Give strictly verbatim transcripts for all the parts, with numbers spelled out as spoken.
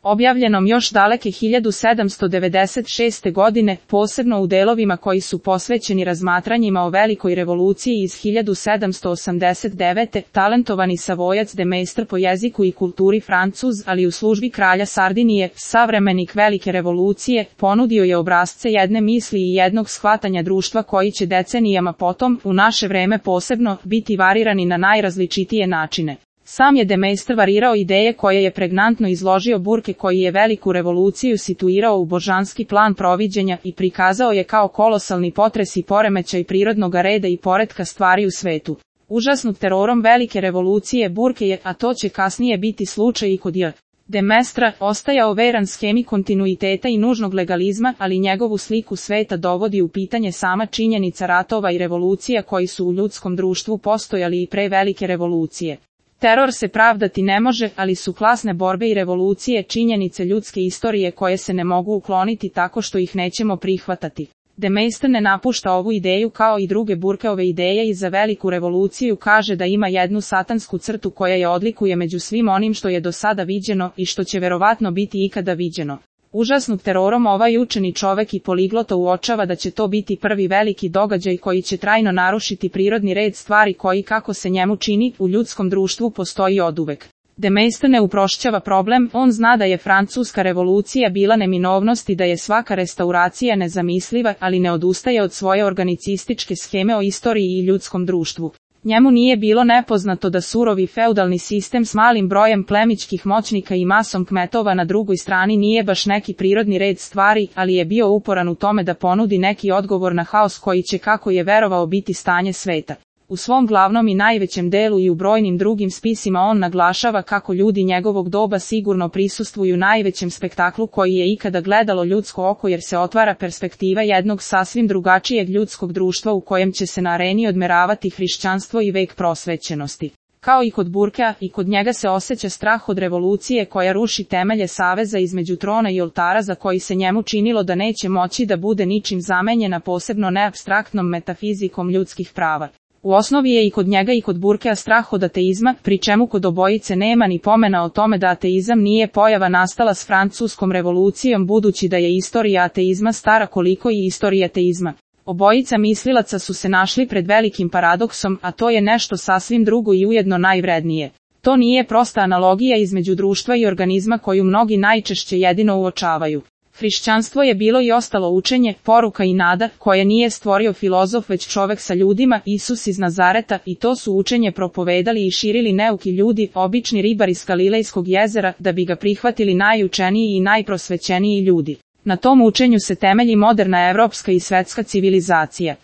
objavljenom još daleke hiljadu sedamsto devedeset šeste. godine, posebno u delovima koji su posvećeni razmatranjima o velikoj revoluciji iz hiljadu sedamsto osamdeset devete. talentovani Savojac de Maistre po jeziku i kulturi Francuz, ali u službi kralja Sardinije, savremenik velike revolucije, ponudio je obrasce jedne misli i jednog shvatanja društva koji će decenijama potom, u naše vreme posebno, biti varirani na najrazličitije načine. Sam je de Maistre varirao ideje koje je pregnantno izložio Burke, koji je veliku revoluciju situirao u božanski plan proviđenja i prikazao je kao kolosalni potres i poremećaj prirodnog reda i poretka stvari u svetu. Užasnut terorom velike revolucije Burke je, a to će kasnije biti slučaj i kod J. de Maistre, ostajao veran schemi kontinuiteta i nužnog legalizma, ali njegovu sliku sveta dovodi u pitanje sama činjenica ratova i revolucija koji su u ljudskom društvu postojali i pre velike revolucije. Teror se pravdati ne može, ali su klasne borbe i revolucije činjenice ljudske istorije koje se ne mogu ukloniti tako što ih nećemo prihvatati. De Maistre ne napušta ovu ideju kao i druge Burkeove ideje i za veliku revoluciju kaže da ima jednu satansku crtu koja je odlikuje među svim onim što je do sada viđeno i što će verovatno biti ikada viđeno. Užasnut terorom ovaj učeni čovek i poliglota uočava da će to biti prvi veliki događaj koji će trajno narušiti prirodni red stvari koji, kako se njemu čini, u ljudskom društvu postoji oduvek. De Maistre ne uprošćava problem, on zna da je francuska revolucija bila neminovnost i da je svaka restauracija nezamisliva, ali ne odustaje od svoje organicističke scheme o istoriji i ljudskom društvu. Njemu nije bilo nepoznato da surovi feudalni sistem s malim brojem plemićkih moćnika i masom kmetova na drugoj strani nije baš neki prirodni red stvari, ali je bio uporan u tome da ponudi neki odgovor na haos koji će, kako je verovao, biti stanje sveta. U svom glavnom i najvećem delu i u brojnim drugim spisima on naglašava kako ljudi njegovog doba sigurno prisustvuju najvećem spektaklu koji je ikada gledalo ljudsko oko, jer se otvara perspektiva jednog sasvim drugačijeg ljudskog društva u kojem će se na areni odmeravati hrišćanstvo i vek prosvećenosti. Kao i kod Burkea, i kod njega se osjeća strah od revolucije koja ruši temelje saveza između trona i oltara za koji se njemu činilo da neće moći da bude ničim zamenjena, posebno neapstraktnom metafizikom ljudskih prava. U osnovi je i kod njega i kod Burkea strah od ateizma, pri čemu kod obojice nema ni pomena o tome da ateizam nije pojava nastala s francuskom revolucijom, budući da je istorija ateizma stara koliko i istorija ateizma. Obojica mislilaca su se našli pred velikim paradoksom, a to je nešto sasvim drugo i ujedno najvrednije. To nije prosta analogija između društva i organizma koju mnogi najčešće jedino uočavaju. Hrišćanstvo je bilo i ostalo učenje, poruka i nada, koje nije stvorio filozof već čovek sa ljudima, Isus iz Nazareta, i to su učenje propovedali i širili neuki ljudi, obični ribari s Galilejskog jezera, da bi ga prihvatili najučeniji i najprosvećeniji ljudi. Na tom učenju se temelji moderna evropska i svetska civilizacija.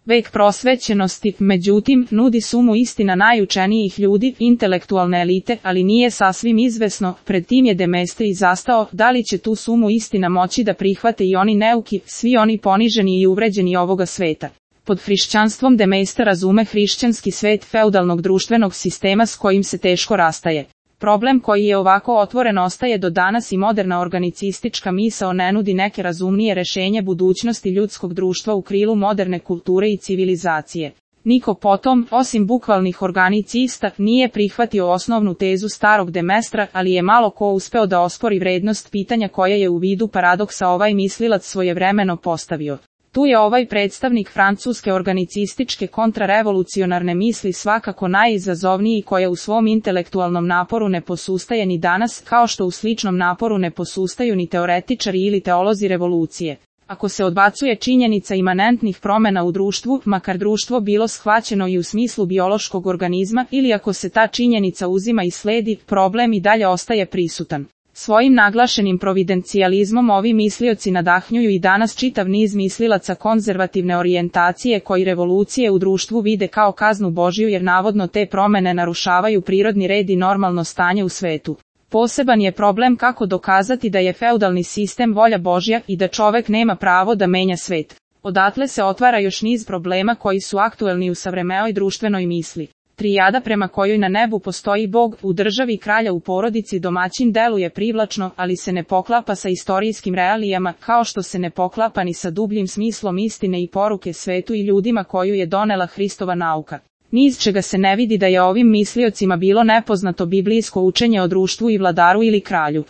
Vek prosvećenosti, međutim, nudi sumu istina najučenijih ljudi, intelektualne elite, ali nije sasvim izvesno, pred tim je de Maistre i zastao, da li će tu sumu istina moći da prihvate i oni neuki, svi oni poniženi i uvređeni ovoga sveta. Pod hrišćanstvom de Maistre razume hrišćanski svet feudalnog društvenog sistema s kojim se teško rastaje. Problem koji je ovako otvoren ostaje do danas i moderna organicistička misao ne nudi neke razumnije rešenje budućnosti ljudskog društva u krilu moderne kulture i civilizacije. Niko potom, osim bukvalnih organicista, nije prihvatio osnovnu tezu starog de Maistre, ali je malo ko uspeo da ospori vrednost pitanja koja je u vidu paradoksa ovaj mislilac svojevremeno postavio. Tu je ovaj predstavnik francuske organicističke kontrarevolucionarne misli svakako najizazovniji, koja u svom intelektualnom naporu ne posustaje ni danas, kao što u sličnom naporu ne posustaju ni teoretičari ili teolozi revolucije. Ako se odbacuje činjenica imanentnih promjena u društvu, makar društvo bilo shvaćeno i u smislu biološkog organizma, ili ako se ta činjenica uzima i sledi, problem i dalje ostaje prisutan. Svojim naglašenim providencijalizmom ovi mislioci nadahnjuju i danas čitav niz mislilaca konzervativne orijentacije koji revolucije u društvu vide kao kaznu Božju, jer navodno te promjene narušavaju prirodni red i normalno stanje u svetu. Poseban je problem kako dokazati da je feudalni sistem volja Božja i da čovek nema pravo da menja svet. Odatle se otvara još niz problema koji su aktuelni u savremenoj društvenoj misli. Trijada prema kojoj na nebu postoji Bog, u državi kralja, u porodici domaćin deluje privlačno, ali se ne poklapa sa istorijskim realijama, kao što se ne poklapa ni sa dubljim smislom istine i poruke svetu i ljudima koju je donela Hristova nauka. Ni iz čega se ne vidi da je ovim misliocima bilo nepoznato biblijsko učenje o društvu i vladaru ili kralju.